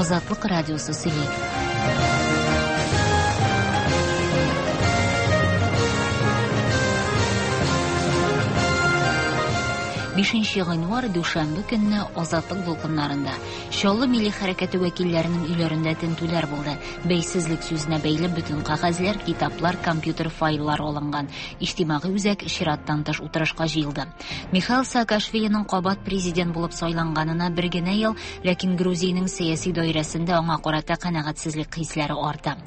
Азатлык радиосы сөйли. Бишенче гыйнвар дүшәмбе көнне Азатлык дулкыннарында Чаллы милли хәрәкәте вәкилләренең өйләрендә тентүләр булды. Бәйсезлек сүзенә бәйле бөтен кәгазьләр, китаплар, компьютер файллары алынган. Иҗтимагый үзәк чираттан тыш утырышка җыелды. Михаил Саакашвилиның кабат президент булып сайланганына бер генә ел, ләкин Грузиянең сәяси даирәсендә аңа карата канәгатьсезлек хисләре арта.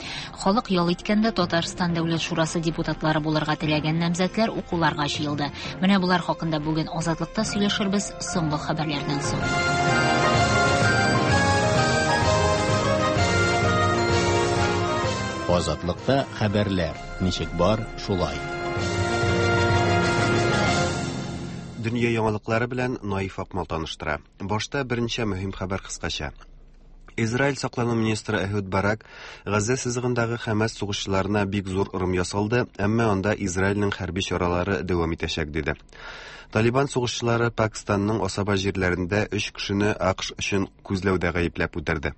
Халык ял иткәндә Татарстан Дәүләт шурасы депутатлары булырга теләгән намзәтләр укуларга җыелды. Менә болар хакында бүген Азатлыкта сөйләшербез соңгы хәбәрләрдән соң. Азатлыкта хәбәрләр ничек бар, шулай. Дөнья яңалыклары белән Наиф Акмал таныштыра. Башта берничә мөһим хәбәр кыскача. Израиль саклану министры Эхуд Барак Газзә сызыгындагы Хәмәс сугышчыларына бик зур ырым ясалды, әмма анда Израильнең хәрби чаралары дәвам итәчәк, диде. Талибан сугышчылары Пакистанның асаба җирләрендә өч кешене АКШ өчен күзләүдә гаепләп үтерде.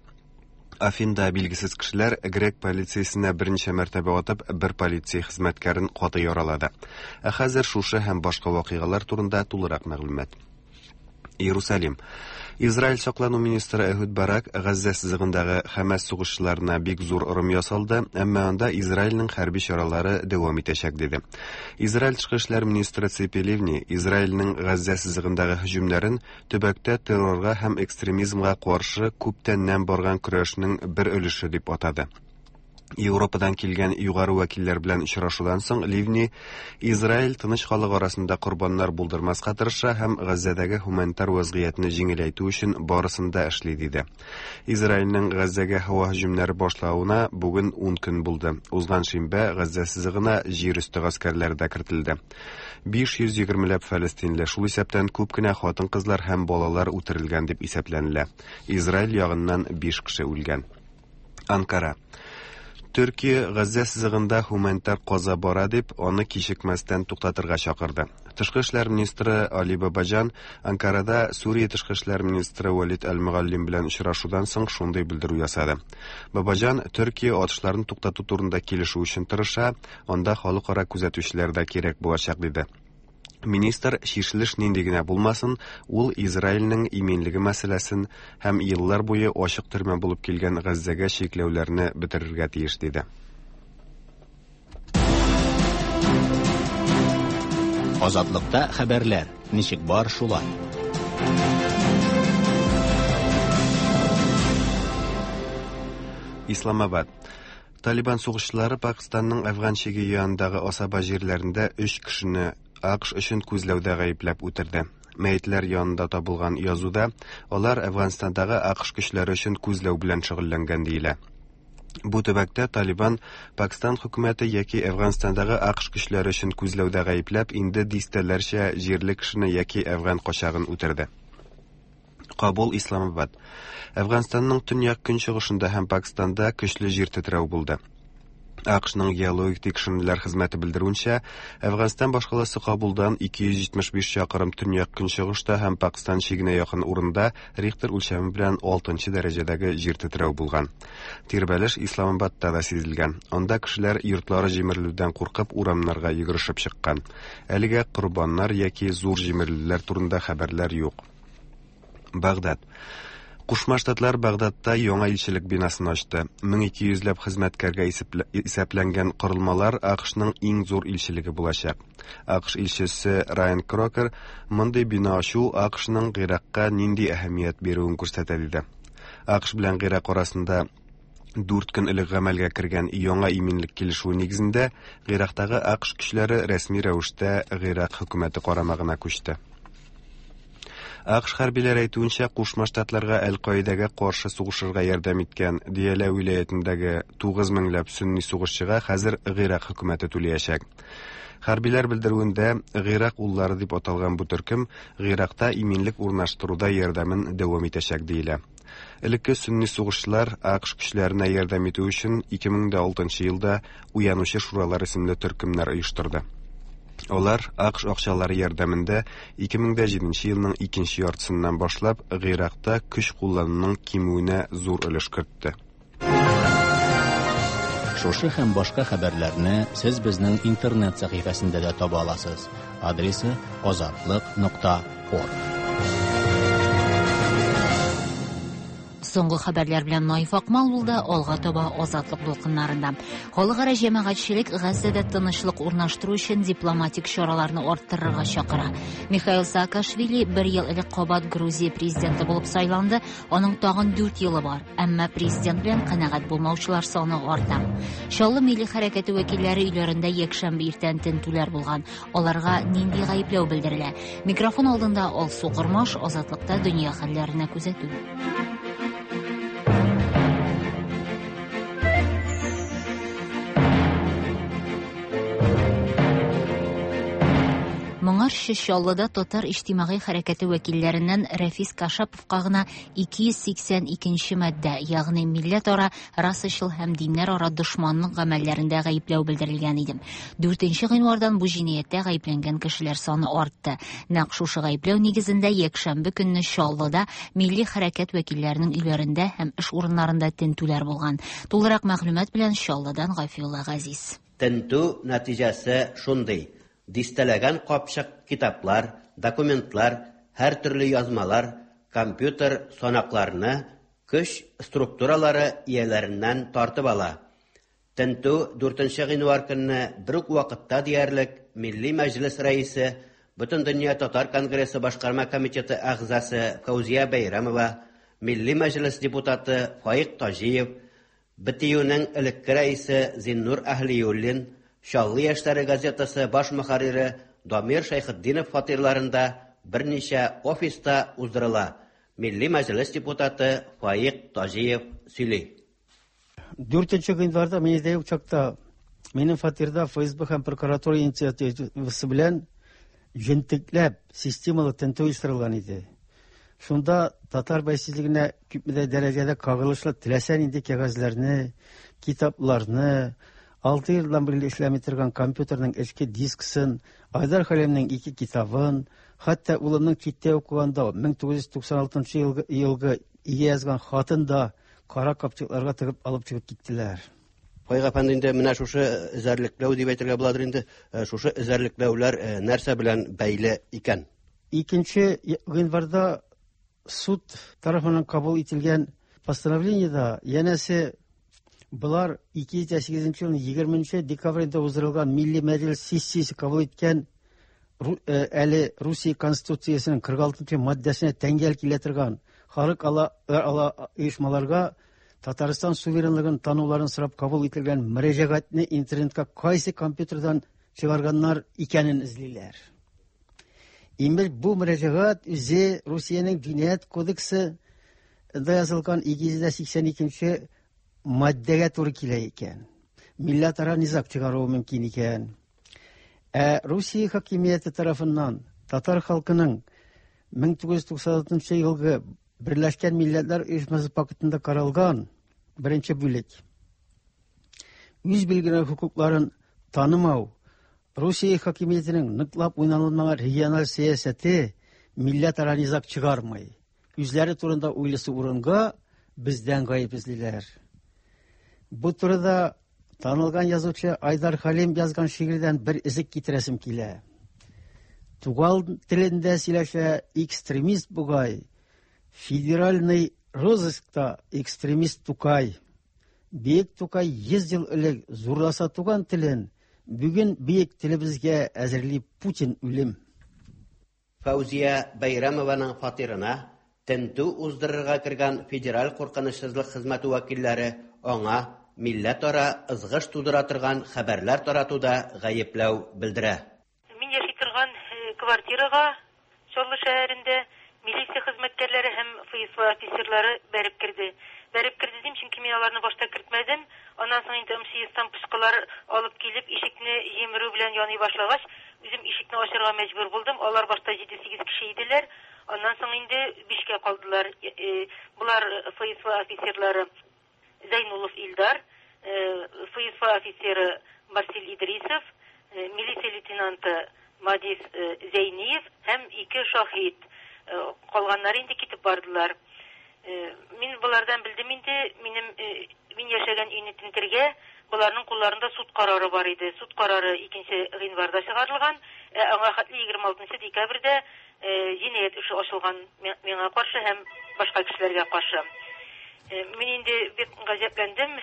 Афинда билгесез кешеләр грек полициясенә берничә мәртәбә атып, бер полиция хезмәткәрен каты яралады. Ә хәзер шушы һәм башка вакыйгалар турында тулырак мәгълүмат. Иерусалим. Израиль саклану министры Эхуд Барак Газзә сызыгындагы Хәмәс сугышчыларына бик зур ырым ясалды, әмма анда Израильнең хәрби чаралары дәвам итәчәк, диде. Израиль тышкы эшләр министры Ципи Ливни Израильнең Газзә сызыгындагы һөҗүмнәрен төбәктә террорга һәм экстремизмга каршы күптәннән барган көрәшнең бер өлеше дип атады. Европадан килгән югары вәкилләр белән очрашудан соң Ливни Израиль тыныч халык арасында корбаннар булдырмаска тырыша һәм Газзәдәге һуманитар вазгыятьне җиңеләйтү өчен барысын да эшли диде. Израильнең Газзәгә һава һөҗүмнәре башлавына бүген 10 көн булды. Узган шимбә Газзә сызыгына җир өсте гаскәрләре дә кертелде. 520 ләп фәлестинле, шул исәптән күп кенә хатын-кызлар һәм балалар үтерелгән дип исәпләнелә. Израиль ягыннан 5 кеше үлгән. Анкара. Төркия Газзә сызыгында һуманитар каза бара дип, аны кичекмәстән туктатырга чакырды. Тышкы эшләр министры Али Бабаҗан Анкарада Сүрия тышкы эшләр министры Валид Әл-Мөгаллим белән очрашудан соң шундый белдерү ясады. Бабаҗан Төркия атышларны туктату турында килешү өчен тырыша, анда халыкара күзәтүчеләр дә кирәк булачак, диде. Министр чишелеш нинди генә булмасын, ул Израильнең иминлеге мәсьәләсен һәм еллар буе ачык төрмә булып килгән Газзәгә чикләүләрне бетерергә тиеш, диде. Азатлыкта хәбәрләр ничек бар шулай. Исламабад. Талибан сугышчылары Пакистанның Әфган чиге янындагы асаба җирләрендә өч кешене АКШ өчен күзләүдә гаепләп үтерде. Мәетләр янында табылган язуда алар Әфганстандагы АКШ көчләре өчен күзләү белән шөгыльләнгән диелә. Бу төбәктә Талибан Пакистан хөкүмәте яки Әфганстандагы АКШ көчләре өчен күзләүдә гаепләп инде дистәләрчә җирле кешене яки әфган качагын үтерде. Кабул, Исламабад. Әфганстанның төньяк-көнчыгышында һәм Пакистанда көчле җир тетрәү булды. АКШның геологик тикшеренүләр хезмәте белдерүенчә, Әфганстан башкаласы Кабулдан 275 чакрым төньяк-көнчыгышта һәм Пакистан чигенә якын урында Рихтер үлчәме белән 6 дәрәҗәдәге җир тетрәү булган. Тирбәлеш Исламабадта да сизелгән. Анда кешеләр йортлары җимерелүдән куркып урамнарга йөгерешеп чыккан. Әлегә корбаннар яки зур җимерелүләр турында хәбәрләр юк. Багдад. Кушма Штатлар Багдадта яңа илчелек бинасын ачты. 1200 ләп хезмәткәргә исәпләнгән корылмалар АКШның иң зур илчелеге булачак. АКШ илчесе Райан Крокер мондый бина ачу АКШның Гыйракка нинди әһәмият бирүен күрсәтә диде. АКШ белән Гыйрак арасында дүрт көн элек гамәлгә кергән яңа иминлек килешүе нигезендә Гыйрактагы АКШ көчләре рәсми рәвештә Гыйрак хөкүмәте карамагына күчте. АКШ хәрбиләре әйтүенчә, Кушма Штатларга Әл-Каидәгә каршы сугышырга ярдәм иткән Диялә вилаятендәге 9 меңләп сөнни сугышчыга хәзер Гыйрак хөкүмәте түләячәк. Хәрбиләр белдерүендә, Гыйрак уллары дип аталган бу төркем Гыйракта иминлек урнаштыруда ярдәмен дәвам итәчәк диелә. Элекке сөнни сугышчылар АКШ көчләренә ярдәм итү өчен 2006 елда Уянучы шуралар исемле төркемнәр оештырды. Алар АКШ акчалары ярдәмендә 2007 елның икенче яртысыннан башлап Гыйракта көч куллануның кимүенә зур өлеш кертте. Шушы һәм башка хәбәрләрне сез безнең интернет сәхифәсендә дә таба аласыз. Адресы azatliq.org. Соңгы хәбәрләр белән Наиф Акмал булды, алга таба Азатлык дулкыннарында. Халыкара җәмәгатьчелек Газзәдә тынычлык урнаштыру өчен дипломатик чараларны арттырырга чакыра. Михаил Саакашвили бер ел элек кабат Грузия президенты булып сайланды, аның тагын 4 елы бар. Әмма президент белән канәгать булмаучылар саны арта. Чаллы милли хәрәкәте вәкилләре өйләрендә якшәмбе иртән тентүләр булган. Аларга нинди гаепләү белдерелә? Микрофон алдында Алсу Кормаш, Азатлыкта дөнья хәлләренә күзәтү. Моңарчы Чаллыда татар иҗтимагый хәрәкәте вәкилләреннән Рәфис Кашаповка гына 282 маддә, ягъни милләтара, расачыл һәм диннәрара дошманлык гамәлләрендә гаепләү белдерелгән иде. 4 гыйнвардан бу җинаятьтә гаепләнгән кешеләр саны артты. Нәкъ шушы гаепләү нигезендә якшәмбе көнне Чаллыда милли хәрәкәт вәкилләренең өйләрендә һәм эш урыннарында тентүләр булган. Тулырак мәгълүмат белән Чаллыдан Гафиулла Газиз. Тентү нәтиҗәсе шундый: дистәләгән капчык китаплар, документлар, һәртөрле язмалар, компьютер санакларны көч структуралары ияләреннән тартып ала. Тентү 4 гыйнвар көнне бер үк вакытта диярлек Милли Мәҗлес рәисе, Бөтендөнья татар конгрессы башкарма комитеты әгъзасы Фәүзия Бәйрәмова, Милли Мәҗлес депутаты Фаик Таҗиев, БТЮның элекке рәисе Зиннур Әһлиуллин, Чаллы яшьләре газетасы баш мөхәррире Дамир Шәйхетдинов фатирларында берничә офиста уздырыла. Милли Мәҗлес депутаты Фаик Таҗиев сөйли. 4 гыйнварда мин өйдә юк чакта минем фатирда ФСБ һәм прокуратура инициативасы белән җентекләп системалы тентү оештырылган иде. Шунда татар бәйсезлегенә күпмедер дәрәҗәдә кагылышлы теләсә нинди кәгазьләрне, китапларны, 6 елдан бирле эшләми торган компьютерның эчке дискысын, Айдар Хәлимнең 2 китабын, хәтта улымның читтә укыганда 1996 елгы өйгә язган хатын да кара капчыкларга тыгып алып чыгып киттеләр. Фаик әфәнде, инде менә шушы эзәрлекләү дип әйтергә буладыр инде, шушы эзәрлекләүләр нәрсә белән бәйле икән? 2 гыйнварда суд тарафыннан кабул ителгән постановлениедә янәсе булар 2008 елның 20 декабрендә уздырылган Милли Мәҗлес сессиясе кабул иткән әле Русия Конституциясенең 46 маддәсенә тәңгәл килә торган халыкара оешмаларга Татарстан суверенлыгын тануларын сорап кабул ителгән мөрәҗәгатьне интернетка кайсы компьютердан чыгарганнар икәнен эзлиләр. Имеш, бу мөрәҗәгать үзе Русиянең җинаять кодексы да язылган 282 маддәгә туры килә икән. Милләтара низаг чыгаруы мөмкин икән. Ә Русия хакимияте тарафыннан татар халкының 1996 елгы Берләшкән Милләтләр Оешмасы пактында каралган беренче бүлек үз билгеләнгән хокукларын танымау, Русия хакимиятенең ныклап уйналмаган региональ сәясәте милләтара низаг чыгармый. Үзләре турында уйлысы урынга бездән гаеп эзлиләр. Бу турыда танылган язучы Айдар Хәлим язган шигырьдән бер өзек китерәсем килә. Туган телендә сөйләшә экстремист бугай, федеральный розыскта экстремист Тукай. Бөек Тукай 100 ел элек зурласа туган телен, бүген бөек телебезгә әзерли Путин үлем. Фәүзия Бәйрәмованың фатирына тентү уздырырга кергән федераль куркынычсызлык хезмәте вәкилләре аңа милләтара ызгыш тудыра торган хәбәрләр таратуда гаепләү белдерә. Мин яши торган квартирага Чаллы шәһәрендә милиция хезмәткәрләре һәм ФСБ офицерлары бәреп керде. Бәреп керде дим, чөнки мин аларны башта кертмәдем. Аннан соң инде МЧСтан пычкылар алып килеп, ишекне җимерү белән яный башлагач, үзем ишекне ачарга мәҗбүр булдым. Алар башта 7-8 кеше иделәр. Аннан соң инде 5кә калдылар. Булар ФСБ офицерлары Зайнулов Илдар, ФСБ офицеры Марсель Идрисов, милиция лейтенанты Мадис Зәйниев һәм ике шаһит. Калганнары инде китеп бардылар. Мин болардан белдем инде, минем мин яшәгән өйне тентергә боларның кулларында суд карары бар иде. Суд карары 2 гыйнварда чыгарылган, ә аңа хәтле 26 декабрьдә җинаять эше ачылган миңа каршы һәм башка кешеләргә каршы. Мин инде бик гаҗәпләндем,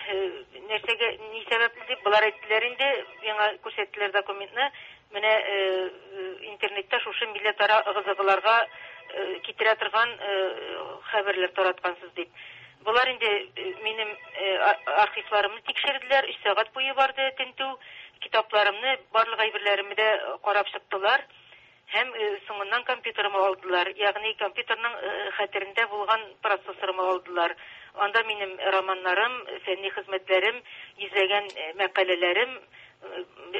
нәрсәгә, ни сәбәпле дип, болар әйттеләр инде, миңа күрсәттеләр документны. Менә интернетта шушы милләтара ыгы-зыгыларга китерә торган хәбәрләр тараткансыз дип. Болар инде минем архивларымны тикшерделәр, 3 сәгать буе барды тентү, китапларымны, барлык әйберләремне дә карап чыктылар. Һәм соңыннан компьютерымы алдылар, ягъни компьютерның хәтерендә булган процессорымы алдылар. Анда минем романнарым, фәнни хезмәтләрем, йөзләгән мәкаләләрем,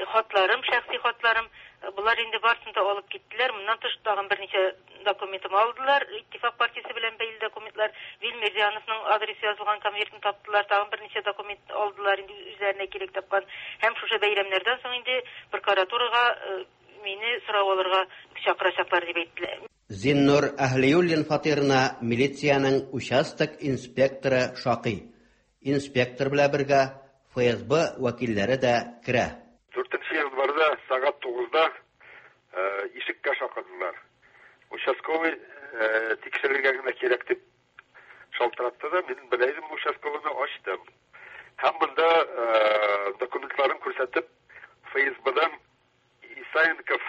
хатларым, шәхси хатларым, болар инде барысын да алып киттеләр. Моннан тыш тагын берничә документымы алдылар, Иттифак партиясе белән бәйле документлар, Вил Мирзияновның адресы язылган конвертын таптылар, тагын берничә документ алдылар инде үзләренә кирәк тапкан. Һәм шушы бәйрәмнәрдән соң инде прокуратурага мине сорау алырга чакырачаклар дип әйттеләр. Зиннур Әһлиуллин фатирына милициянең участок инспекторы шакый. Инспектор белән бергә ФСБ вәкилләре дә керә. 4 январьда сәгать 9-да ишеккә шакыдылар. Участковый тикшерергә генә кирәк дип шалтыратты да, мин белә идем участковыйны, ачтым. Һәм монда документларын күрсәтеп, ФСБдан Исаенков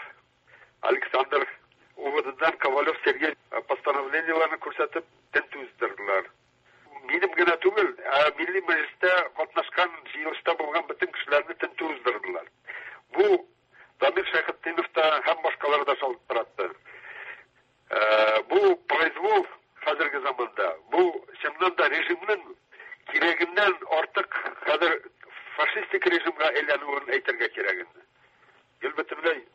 Александр, УВДдан Ковалев Сергей постановлениеләрен күрсәтеп тентү уздырдылар. Минем генә түгел, ә Милли Мәҗлестә катнашкан җыелышта булган бөтен кешеләрне тентү уздырдылар. Бу Дамир Шәйхетдинов та һәм башкалар да шалтыратты. Бу произвол хәзерге заманда, бу чыннан да режимның кирәгеннән артык хәзер фашистик режимга әйләнүен әйтергә кирәк инде. Гел бөтенләй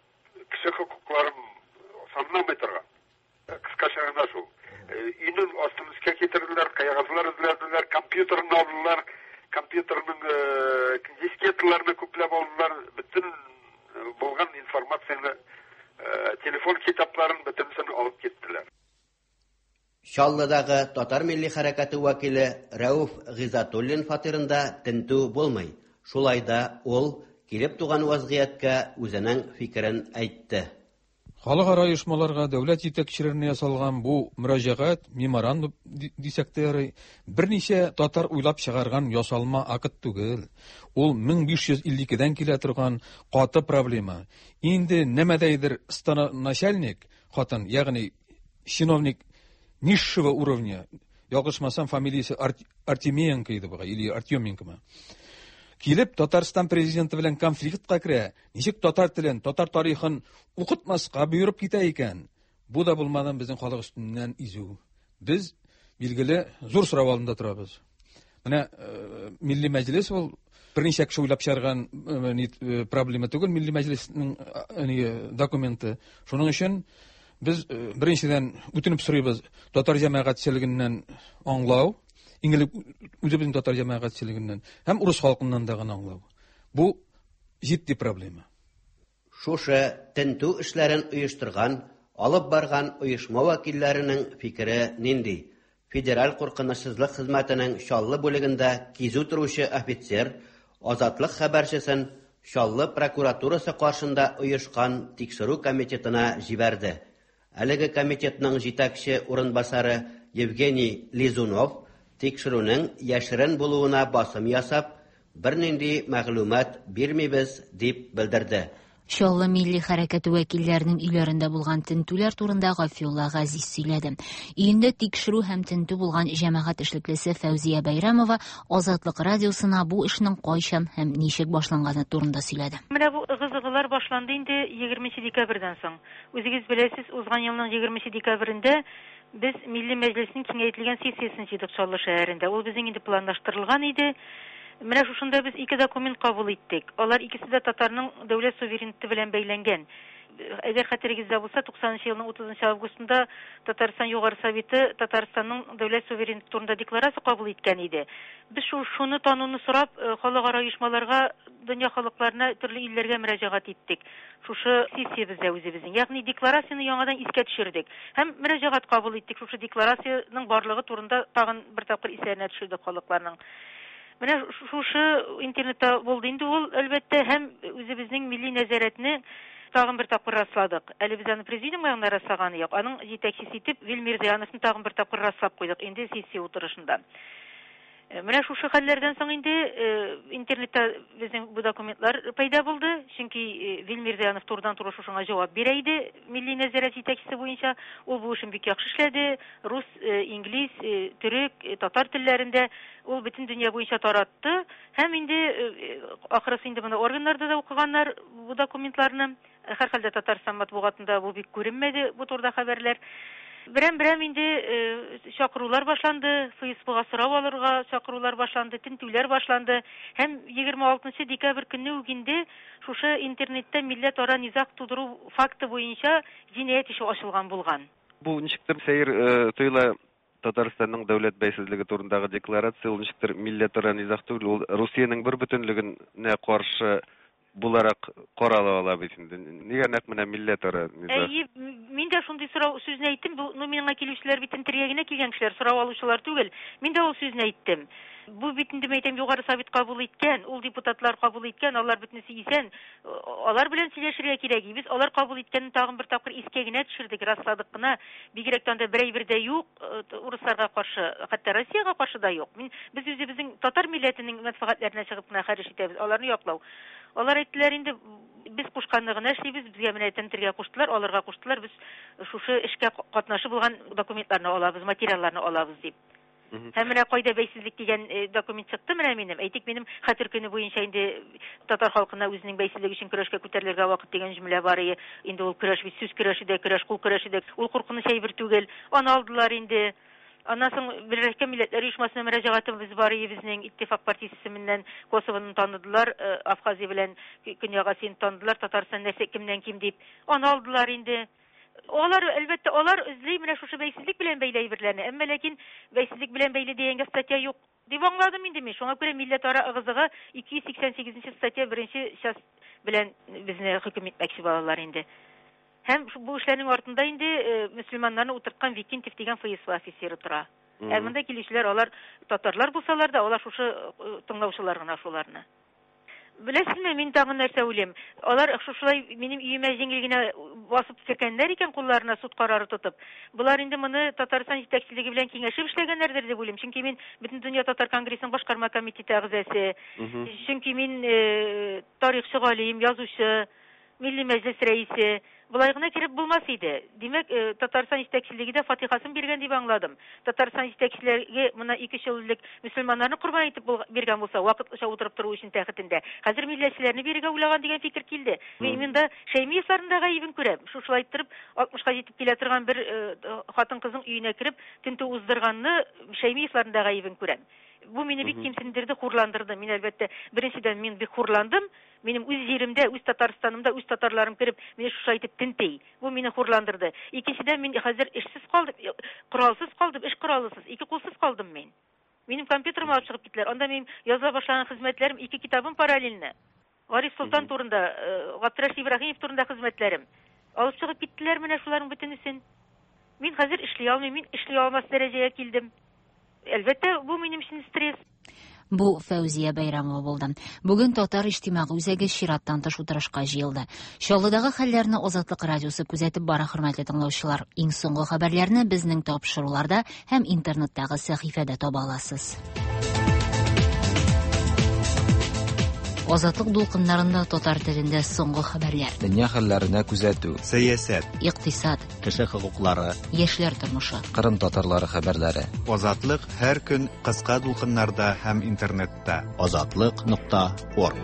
кеше хокукларын санламый торган. Кыскача гына шул. Өйнең астын өскә китерделәр, кәгазьләр эзләделәр, компьютерын алдылар, компьютерның дискеталарны күпләп алдылар, бөтен булган информацияне, телефон китапларын бөтенесен алып киттеләр. Чаллыдагы татар милли хәрәкәте вәкиле Рәүф Гыйззәтуллин фатирында тентү булмый. Шулай да ул килеп туган вазгыятькә үзенең фикерен әйтте. Халыкара оешмаларга, дәүләт җитәкчеләренә ясалган бу мөрәҗәгать, меморандум дисәк тә ярый, берничә татар уйлап чыгарган ясалма акт түгел. Ул 1552-дән килә торган каты проблема. Инде нәмәдәйдер станоначальник хатын, ягъни чиновник низшего уровня, ялгышмасам, фамилиясе Артемиенко иде бугай, или Артеменкомы. Килеп Татарстан президенты белән конфликтка керә, ничек татар телен, татар тарихын укытмаска боерып китә икән. Бу да булмадан безнең халык өстеннән изү. Без, билгеле, зур сорау алдында торабыз. Менә Милли Мәҗлес ул берничә кеше уйлап чыгарган проблема түгел, Милли Мәҗлеснең документы. Шуның өчен без беренчедән үтенеп сорыйбыз татар җәмәгатьчелегеннән аңлау, иң элек үзебезнең татар җәмәгатьчелегеннән һәм урыс халкыннан да гына аңлау. Бу җитди проблема. Шушы тентү эшләрен оештырган, алып барган оешма вәкилләренең фикере нинди? Федераль куркынычсызлык хезмәтенең Чаллы бүлегендә кизү торучы офицер Азатлык хәбәрчесен Чаллы прокуратурасы каршында оешкан тикшерү комитетына җибәрде. Әлеге комитетның җитәкче урынбасары Евгений Лизунов тикшерүнең яшерен булуына басым ясап, бернинди мәгълүмат бирмибез дип белдерде. Чаллы милли хәрәкәте вәкилләренең өйләрендә булган тентүләр турында Гафиулла Газиз сөйләде. Өендә тикшерү һәм тентү булган җәмәгать эшлеклесе Фәүзия Бәйрәмова Азатлык радиосына бу эшнең кайчан һәм ничек башланганы турында сөйләде. Менә бу ыгы-зыгылар башланды инде 20 декабрьдән соң. Үзегез беләсез, узган елның 20 декабрендә без Милли Мәҗлеснең киңәйтелгән сессиясен җыйдык Чаллы шәһәрендә. Ул безнең инде планлаштырылган иде. Менә шушында без ике документ кабул иттек. Алар икесе дә татарның дәүләт суверенитеты белән бәйләнгән. Әгәр хәтерегездә булса, 90 елның 30 августында Татарстан Югары Советы Татарстанның дәүләт суверенитеты турында декларация кабул иткән иде. Без шу шуны тануны сорап, халыкара оешмаларга, дөнья халыкларына, төрле илләргә мөрәҗәгать иттек. Шушы сессиябездә үзебезнең, ягъни декларацияне яңадан искә төшердек һәм мөрәҗәгать кабул иттек. Шушы декларациянең барлыгы турында тагын бер тапкыр исләренә төшердек халыкларның. Менә шушы интернетта булды инде ул, әлбәттә, һәм үзебезнең милли нәзарәтне тагын бер тапкыр расладык. Әле без аны президиумга гына раслаганы юк. Аның җитәкчесе итеп Вил Мирзаяновны тагын бер тапкыр раслап куйдык инде сессия утырышында. Менә шушы хәлләрдән соң инде интернетта безнең бу документлар пәйда булды. Чөнки Вил Мирзаянов турыдан-туры шушыңа җавап бирә иде милли нәзарәт җитәкчесе буенча. Ул бу эшен бик яхшы эшләде. Рус, инглиз, төрек, татар телләрендә ул бөтен дөнья буенча таратты. Һәм инде ахрысы инде моны органнарда да укыганнар бу документларны. Һәрхәлдә Татарстан матбугатында бу бик күренмәде, бу турыда хәбәрләр. Берәм-берәм инде чакырулар башланды, ФСБга сорау алырга чакырулар башланды, тентүләр башланды. Һәм 26 декабрь көнне үк инде шушы интернетта милләтара низаг тудыру факты буенча җинаять эше ачылган булган. Бу ничектер сәер тоела. Татарстанның дәүләт бәйсезлеге турындагы декларация ул ничектер милләтара низаг түгел, ул Русиянең бер бүтенлегенә каршы буларак карала ала бит инде. Нигә нәкъ менә милләтара низаг? Әйе, мин дә шундый сорау сүзне әйттем. Бу, ну, миңа килүчеләр бит тентергә генә килгән кешеләр, сорау алучылар түгел. Мин дә ул сүзне әйттем. Бу бит инде, мәйтәм, Югары Совет кабул иткән, ул депутатлар кабул иткән, алар бөтенесе исән. Алар белән сөйләшергә кирәк. Без алар кабул иткәнне тагын бер тапкыр искә генә төшердек, расладык кына. Бигрәк тә анда бер әйбер дә юк, урысларга каршы, хәтта Россиягә каршы да юк. Мин без үзебезнең татар милләтенең мәнфәгатьләренә чыгып кына хәреш итәбез, аларны яклау. Алар әйттеләр инде, без кушканны гына эшлибез, безгә менә тентергә куштылар, алырга куштылар, без шушы эшкә катнашы булган документларны алабыз, материалларны алабыз дип. Һәм менә кайда бәйсезлек дигән документ чыкты менә минем. Әйтик, минем хәтер көне буенча инде татар халкына үзенең бәйсезлеге өчен көрәшкә күтәрелергә вакыт дигән җөмлә бар ие. Инде ул көрәш бит сүз көрәше дә, көрәш кул көрәше дә. Ул куркыныч әйбер түгел. Аны алдылар инде. Аннан соң Берләшкән Милләтләр Оешмасына мөрәҗәгатебез бар ие безнең. Иттифак партиясе исеменнән Косовоны таныдылар, Абхазия белән Көньяк Осетияне таныдылар, Татарстан нәрсә кемнән ким дип. Аны алдылар инде. Алар, әлбәттә, алар эзли менә шушы бәйсезлек белән бәйле әйберләрне, әмма ләкин бәйсезлек белән бәйле дигәнгә статья юк дип аңладым инде мин. Шуңа күрә милләтара ыгы-зыгы 288 нче статья беренче часть белән безне хөкем итмәкче балалар инде. Һәм бу эшләрнең артында инде мөселманнарны утырткан Викентьев дигән ФСБ офицеры тора. Ә монда килүчеләр алар татарлар булсалар да, алар шушы тыңлаучылар гына шуларны. Беләсезме, мин тагын нәрсә уйлыйм. Алар шушылай минем өемә җиңел генә басып кергәннәр икән кулларына суд карары тотып. Болар инде моны Татарстан җитәкчелеге белән киңәшеп эшләгәннәрдер дип уйлыйм. Чөнки мин Бөтендөнья татар конгрессының башкарма комитеты әгъзасы. Чөнки мин тарихчы галим, язучы. Милли Мәҗлес рәисе, Болай гына кереп булмас иде. Димәк, Татарстан җитәкчелеге дә фатихасын биргән дип аңладым. Татарстан җитәкчелеге моннан ике-өч ел элек мөселманнарны корбан итеп биргән булса, вакытлыча утырып тору өчен тәхетендә, хәзер милләтчеләрне бирергә уйлаган дигән фикер килде. Мин монда Шәймиевларның да гаебен күрәм. Шушылай иттереп, алтмышка җитеп килә торган бер хатын-кызның өенә кереп, тентү уздырганны Шәймиевларның да гаебен күрәм. Бу мине бик кимсендерде, хурландырды. Мин, әлбәттә, беренчедән, мин бик хурландым. Минем үз җиремдә, үз Татарстанымда, үз татарларым кереп, мине шушылай итеп тенти. Бу мине хурландырды. Икенчедән, мин хәзер эшсез калдым, коралсыз калдым, эш коралысыз, ике кулсыз калдым мин. Минем компьютерымны алып чыгып киттеләр. Анда минем языла башлаган хезмәтләрем, ике китабым параллельно. Гариф Солтан турында, Габдрәшит Ибраһимов турында хезмәтләрем. Алып чыгып киттеләр менә шуларның бөтенесен. Мин хәзер эшли алмыйм, мин эшли алмас дәрәҗәгә килдем. Әлбәттә, бу минем өчен стресс. Бу Фәүзия Бәйрәмова булды. Бүген Татар иҗтимагый үзәге чираттан тыш утырышка җыелды. Чаллыдагы хәлләрне Азатлык радиосы күзәтеп бара, хөрмәтле тыңлаучылар. Иң соңгы хәбәрләрне безнең тапшыруларда һәм интернеттагы сәхифәдә таба аласыз. Азатлык дулкыннарында татар телендә соңгы хәбәрләр. Дөнья хәлләренә күзәтү. Сәясәт. Икътисад. Кеше хокуклары. Яшьләр тормышы. Кырым татарлары хәбәрләре. Азатлык һәр көн кыска дулкыннарда һәм интернетта. Азатлык нокта орг.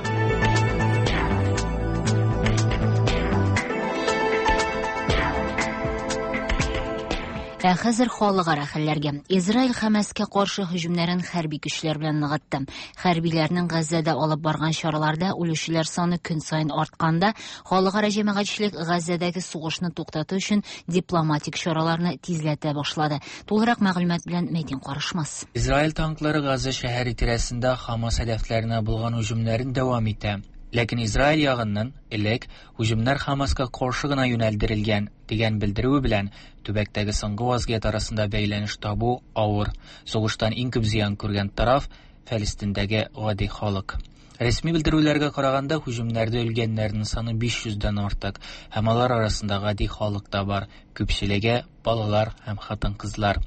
Ә хәзер халыкара хәлләргә. Израиль Хәмәскә каршы һөҗүмнәрен хәрби көчләр белән ныгытты. Хәрбиләрнең Газзәдә алып барган чараларда үлүчеләр саны көн саен артканда, халыкара җәмәгатьчелек Газзәдәге сугышны туктату өчен дипломатик чараларны тизләтә башлады. Тулырак мәгълүмат белән Мәдин Карышмас. Израиль танклары Газа шәһәре тирәсендә Хамас һәдәфләренә булган һөҗүмнәрен дәвам итә. Ләкин Израиль ягыннан элек һөҗүмнәр Хамаска каршы гына юнәлдерелгән дигән белдерүе белән төбәктәге соңгы вазгыять арасында бәйләнеш табу авыр. Сугыштан иң күп зыян күргән тараф Фәлестиндәге гади халык. Рәсми белдерүләргә караганда, һөҗүмнәрдә үлгәннәрнең саны 500 дән артык, һәм алар арасында гади халык та бар, күпчелеге балалар һәм хатын-кызлар.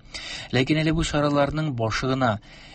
Ләкин әле бу чараларның башы гына.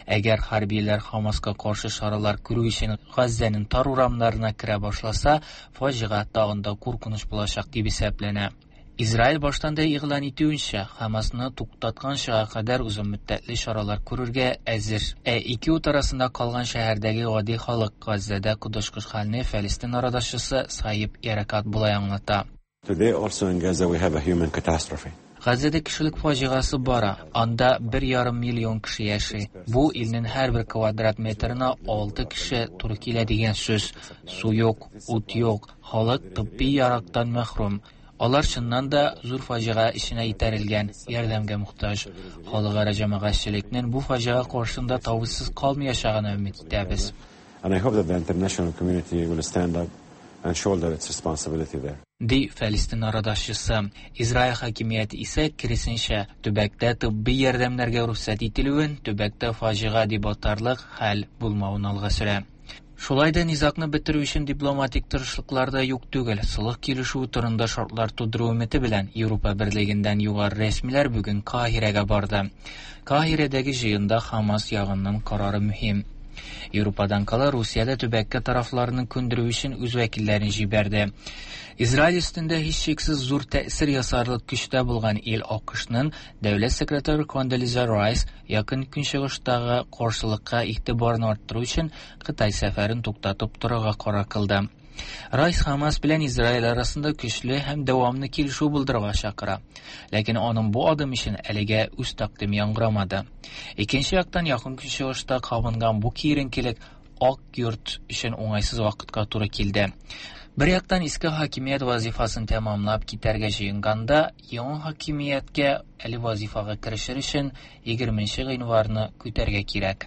Әгәр хәрбиләр Хамаска каршы чаралар күрү өчен Газзәнең тар урамнарына керә башласа, фаҗига тагын да куркыныч булачак дип исәпләнә. Израиль баштан да игълан итүенчә, Хамасны туктатканчыга кадәр озын мөддәтле чаралар күрергә әзер. Ә ике ут арасында калган шәһәрдәге гади халык Газзәдә коточкыч хәлне Фәлестин арадашчысы Саиб Яракат болай аңлата. Today also in Gaza we have a human catastrophe. Газзәдә кешелек фаҗигасы бара. Анда 1,5 миллион кеше яши. Бу илнең һәрбер квадрат метрына 6 кеше туры килә дигән сүз. Су юк, ут юк, халык тибби ярактан мәхрүм. Алар чыннан да зур фаҗига эченә итәрелгән, ярдәмгә мохтаҗ. Халыкара җәмәгатьчелекнең бу фаҗига каршында тавышсыз калмаячагына өмет итәбез. And I hope that the international community will stand up and shoulder its responsibility there. Ди Фәлестин арадашчысы. Израиль хакимияте исә киресенчә, төбәктә тибби ярдәмнәргә рөхсәт ителүен, төбәктә фаҗига дип атарлык хәл булмавын алга сөрә. Шулай да низагны бетерү өчен дипломатик тырышлыклар да юк түгел. Солых килешүе турында шартлар тудыру өмете белән Европа берлегеннән югары рәсмиләр бүген Каһирәгә барды. Каһирәдәге җыенда Хамас ягыннан карары мөһим. Европадан кала Русия дә төбәккә тарафларны күндерү өчен үз вәкилләрен җибәрде. Израиль өстендә һичшиксез зур тәэсир ясарлык көчтә булган ил АКШның дәүләт секретаре Кондолиза Райс якын көнчыгыштагы каршылыкка игътибарны арттыру өчен Кытай сәфәрен туктатып торырга карар кылды. Райс Хамас белән Израиль арасында көчле һәм дәвамлы килешү булдырырга чакыра. Ләкин аның бу адым өчен әлегә үз тәкъдиме яңгырамады. Икенче яктан якын көнчыгышта кабынган бу киеренкелек Ак йорт өчен уңайсыз вакытка туры килде. Бер яктан иске хакимият вазифасын тәмамлап китәргә җыенганда, яңа хакимияткә әле вазифага керешер өчен 20 гыйнварны көтәргә кирәк.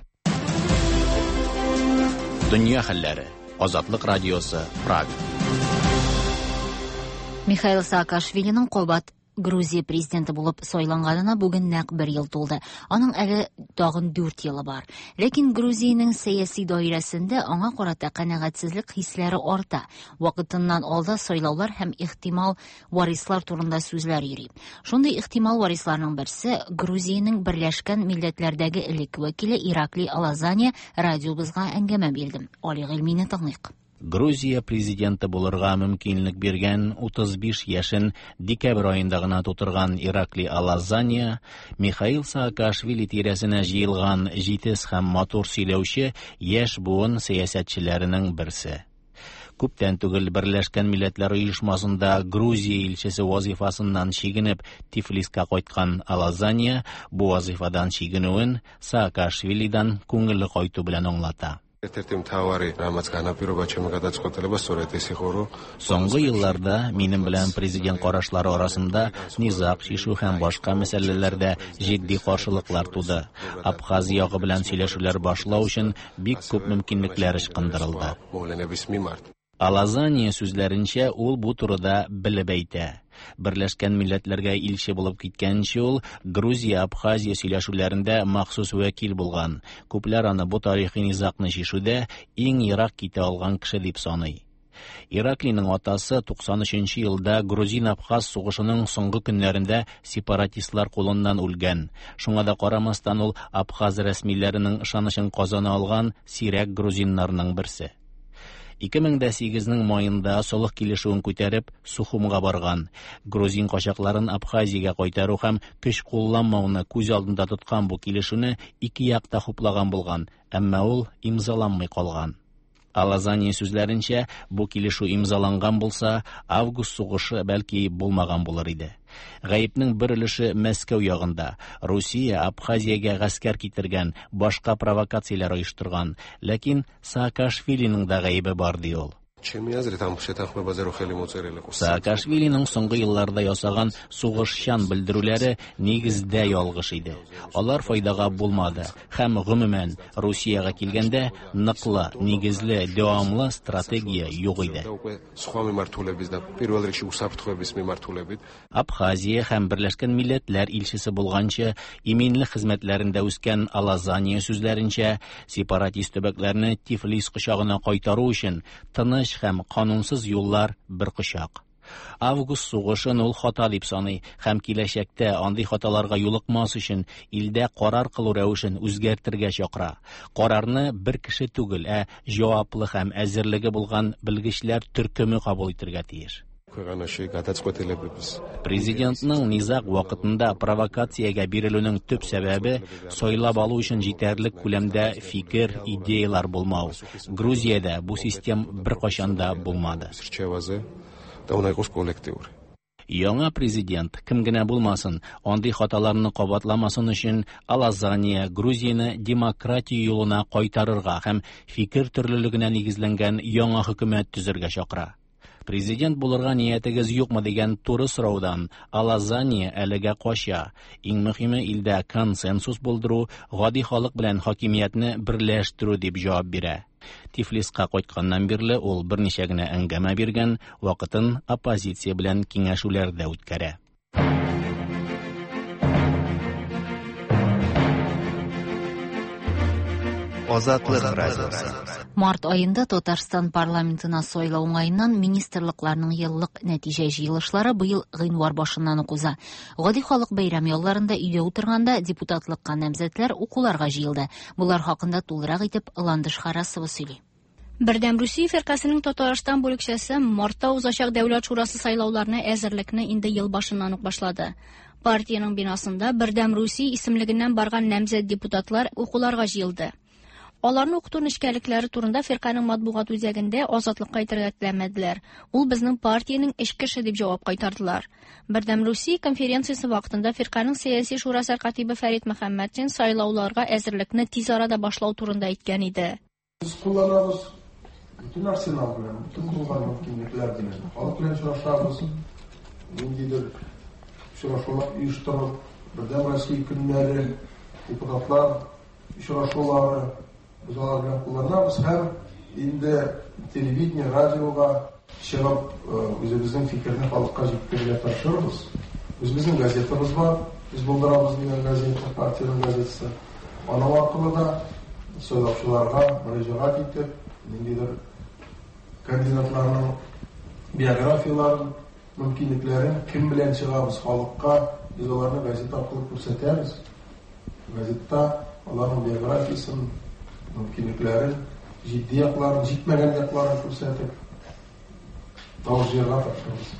Дөнья хәлләре. Азатлык радиосы, Прага. Михаил Саакашвилиның кабат Грузия президенты булып сайланганына бүген нәкъ бер ел тулды. Аның әле тагын 4 елы бар. Ләкин Грузиянең сәяси даирәсендә аңа карата канәгатьсезлек хисләре арта. Вакытыннан алда сайлаулар һәм ихтимал варислар турында сүзләр йөри. Шундый ихтимал варисларның берсе Грузиянең Берләшкән Милләтләрдәге элек вәкиле Ираклий Алазания радиобызга әңгәмә бирде. Али Гыйльмине тыңлыйк. Грузия президенты булырга мөмкинлек биргән 35 яшен декабрь аенда гына тутырган Ираклий Алазания Михаил Саакашвили тирәсенә җыелган җитез һәм матур сөйләүче яшь буын сәясәтчеләренең берсе. Күптән түгел Берләшкән Милләтләр Оешмасында Грузия илчесе вазифасыннан чигенеп Тифлиска кайткан Алазания бу вазифадан чигенүен Саакашвилидан күңелле кайту белән аңлата. Соңгы елларда минем белән президент карашлары арасында низаг чишү һәм башка мәсьәләләрдә җитди каршылыклар туды. Абхаз ягы белән сөйләшүләр башлау өчен бик күп мөмкинлекләр ычкындырылды. Алазания сүзләренчә, ул бу турыда белеп әйтә. Берләшкән Милләтләргә илче булып киткәнче ул Грузия-Абхазия сөйләшүләрендә махсус вәкил булган. Күпләр аны бу тарихи низагны чишүдә иң ерак китә алган кеше дип саный. Ираклиның атасы 93 елда грузин-абхаз сугышының соңгы көннәрендә сепаратистлар кулыннан үлгән. Шуңа да карамастан ул абхаз рәсмиләренең ышанычын казана алган сирәк грузиннарның берсе. 2008-нең маенда солых килешүен күтәреп Сухумга барган. Грузин качакларын Абхазиягә кайтару һәм көч кулланмауны күз алдында тоткан бу килешүне ике як та хуплаган булган, әмма ул имзаланмый калган. Алазания сүзләренчә, бу килешү имзаланган булса, август сугышы бәлки булмаган булыр иде. Гаепнең бер өлеше Мәскәү ягында. Русия Абхазиягә гаскәр китергән, башка провокацияләр оештырган. Ләкин Саакашвилиның да гаебе бар, ди ул. Ჩემი აზრით ამ შეთანხმებაზე რო ხელი მოწერილიყო Саакашвилиның соңгы елларда ясаган сугышчан белдерүләре нигездә ялгыш иде. Алар файдага булмады һәм гомумән Русиягә килгәндә ныклы, нигезле, дәвамлы стратегия юк иде. Სხვა მიმართულების და პირველ რიგში უსაფრთხოების მიმართულებით. Абхазия һәм Берләшкән Милләтләр илчесе булганчы иминлек хезмәтләрендә үскән Алазания сүзләренчә, сепаратист төбәкләрне Тифлис кочагына кайтару өчен тыныч һәм канунсыз юллар бер кочак. Август сугышын ул хата дип саный һәм киләчәктә андый хаталарга юлыкмас өчен илдә карар кылу рәвешен үзгәртергә чакыра. Карарны бер кеше түгел, ә җаваплы һәм әзерлеге булган белгечләр төркеме кабул итәргә тиеш. Ქვეყანაში გადაწყვეტილებების Президентның низаг вакытында провокациягә бирелүнең төп сәбәбе сайлап алу өчен җитәрлек күләмдә фикер, идеялар булмау. Грузиядә бу систем беркайчан да булмады. რჩევაზე და უნდა იყოს კოლექტიური. Яңа президент кем генә булмасын, андый хаталарны кабатламасын өчен Алазания Грузияне демократия юлына кайтарырга һәм фикер төрлелегенә нигезләнгән яңа хөкүмәт төзергә чакыра. Президент булырга ниятегез юкмы дигән туры сораудан Алазания әлегә кача. Иң мөһиме илдә консенсус булдыру, гади халык белән хакимиятне берләштерү дип җавап бирә. Тифлиска кайтканнан бирле ул берничә генә әңгәмә биргән, вакытын оппозиция белән киңәшүләрдә үткәрә. Азатлык радиосы. Март аенда Татарстан парламентына сайлау уңаеннан министрлыкларның еллык нәтиҗә җыелышлары быел гыйнвар башыннан ук уза. Гади халык бәйрәм ялларында өйдә утырганда депутатлыкка намзәтләр укуларга җыелды. Болар хакында тулырак итеп Ландыш Харасова сөйли. Бердәм Русия фиркасының Татарстан бүлекчәсе мартта узачак Дәүләт шурасы сайлауларына әзерлекне инде ел башыннан ук башлады. Партиянең бинасында Бердәм Русия исемлегеннән барган намзәт депутатлар укуларга җыелды. Аларны укыту нечкәлекләре турында фирканең матбугат үзәгендә Азатлыкка әйтергә теләмәделәр. Ул безнең партиянең эчке эше дип җавап кайтардылар. Бердәм Русия конференциясе вакытында фирканең сәяси шура сәркатибе Фәрит Мөхәммәтшин сайлауларга әзерлекне тиз арада башлау турында әйткән иде. Без кулланабыз бөтен арсенал белән, бөтен булган мөмкинлекләр белән. Халык белән очрашабыз, ниндидер очрашулар оештырып, Бердәм Россия көннәре, депутатлар очрашулары без алар белән кулланабыз һәм инде телевидение, радиога чыгып үзебезнең фикерне халыкка җиткерергә тырышырбыз. Үзебезнең газетабыз бар, без булдырабыз дигән газета, партиянең газетасы. Аның аркылы да сайлаучыларга мөрәҗәгать итеп, ниндидер кандидатларның биографияларын, мөмкинлекләрен, кем белән чыгабыз халыкка, без аларны газета аркылы күрсәтәбез. Газетта аларның биографиясын, мөмкинлекләрен, җитди якларын, җитмәгән якларын күрсәтеп, тавыш җыярга тырышабыз.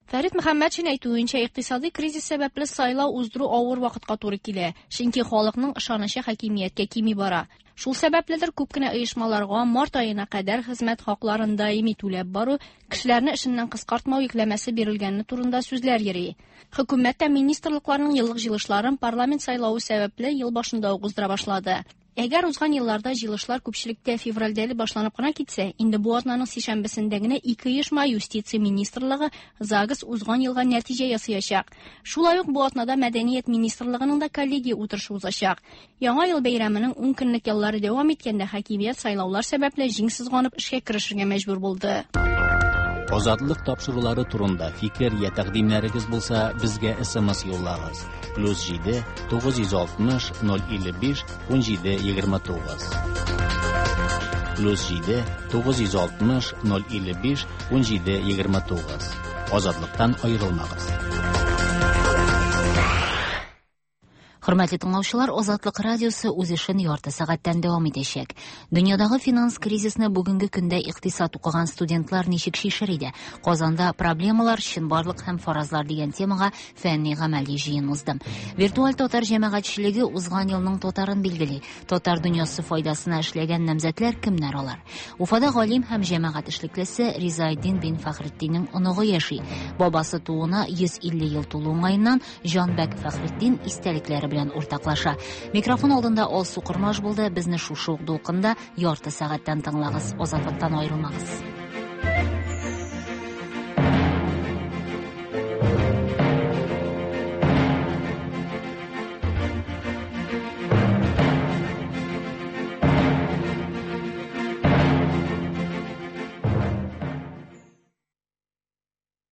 Фәрит Мөхәммәтшин әйтүенчә, икътисади кризис сәбәпле сайлау уздыру авыр вакытка туры килә, чөнки халыкның ышанычы хакимияткә кими бара. Шул сәбәпледер күп кенә оешмаларга март аена кадәр хезмәт хакларын даими түләп бару, кешеләрне эшеннән кыскартмау йөкләмәсе бирелгәне турында сүзләр йөри. Хөкүмәт тә министрлыкларның еллык җыелышларын парламент сайлавы сәбәпле ел башында ук уздыра башлады. Әгәр узган елларда җыелышлар күпчелектә февральдә әле башланып кына китсә, инде бу атнаның сишәмбесендә генә ике оешма юстиция министрлыгы ЗАГС узган елга нәтиҗә ясаячак. Шулай ук бу атнада мәдәният министрлыгының да коллегия утырышы узачак. Яңа ел бәйрәменең 10 көнлек яллары дәвам иткәндә хакимият сайлаулар сәбәпле җиң сызганып эшкә керешергә мәҗбүр булды. Азатлык тапшырулары турында фикер я тәкъдимнәрегез булса, безгә SMS юллагыз. +7 960 055 17 29. +7 960 055 17 29. Азатлыктан аерылмагыз. Хөрмәтле тыңлаучылар, Азатлык радиосы үз эшен ярты сәгатьтән дәвам итәчәк. Дөньядагы финанс кризисны бүгенге көндә икътисад укыган студентлар ничек чишер иде? Казанда проблемалар, чынбарлык һәм фаразлар дигән темага фәнни гамәли җыен узды. Виртуаль татар җәмәгатьчелеге узган елның татарын билгели. Татар дөньясы файдасына эшләгән намзәтләр кемнәр алар? Уфада галим һәм җәмәгать эшлеклесе Ризаэддин бин Фәхретдиннең оныгы яши. Бабасы тууына 150 ел тулу уңаеннан Җанбәк Фәхретдин истәлекләре белән уртаклаша. Микрофон алдында Алсу Кормаш булды. Безне шушы ук дулкында ярты сәгатьтән тыңлагыз. Азатлыктан аерылмагыз.